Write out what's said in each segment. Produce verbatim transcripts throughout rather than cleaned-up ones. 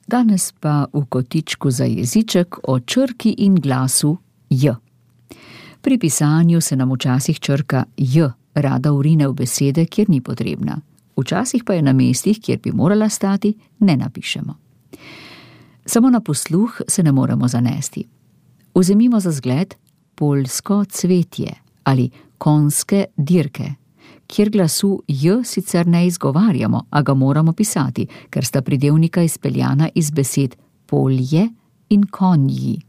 Danes pa v kotičku za jeziček o črki in glasu j. Pri pisanju se nam včasih črka j rada vrine v besede, kjer ni potrebna. Včasih pa je na mestih, kjer bi morala stati, ne napišemo. Samo na posluh se ne moremo zanesti. Vzemimo za zgled poljsko cvetje ali konjske dirke, kjer glasu j sicer ne izgovarjamo, a ga moramo pisati, ker sta pridevnika izpeljana iz besed polje in konji.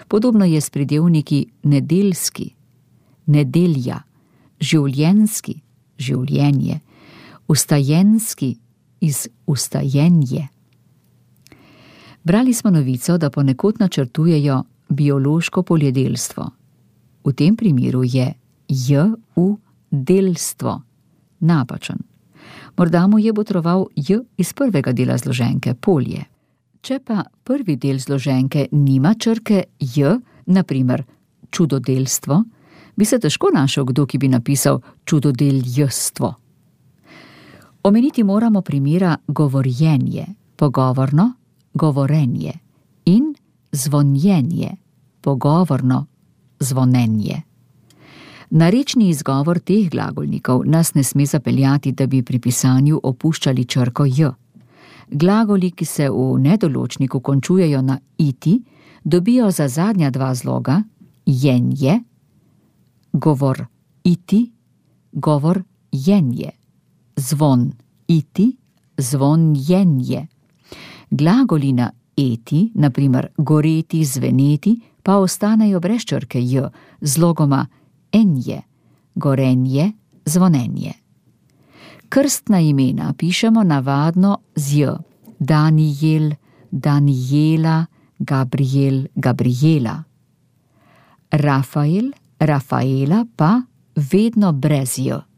Podobno je s pridevniki nedeljski, nedelja, življenjski, življenje, ustajenski iz ustajenje. Brali smo novico, da ponekod načrtujejo biološko poljedelstvo. V tem primeru je j v delstvo napačen. Morda mu je botroval j iz prvega dela zloženke polje. Če pa prvi del zloženke nima črke j, na primer čudodelstvo, bi se težko našel kdo, ki bi napisal čudodeljstvo. Omeniti moramo primera govorjenje, pogovorno, govorenje in zvonjenje, pogovorno, zvonenje. Narečni izgovor teh glagolnikov nas ne sme zapeljati, da bi pri pisanju opuščali črko j. Glagoli, ki se v nedoločniku končujejo na iti, dobijo za zadnja dva zloga jenje, govor iti, govor jenje, zvon iti, zvon jenje. Glagoli na eti, na primer goreti, zveneti, pa ostanejo brez črke j, zlogoma enje, gorenje, zvonenje. Krstna imena pišemo navadno z j. Danijel, Danijela, Gabriel, Gabriela. Rafael, Rafaela pa vedno brez j.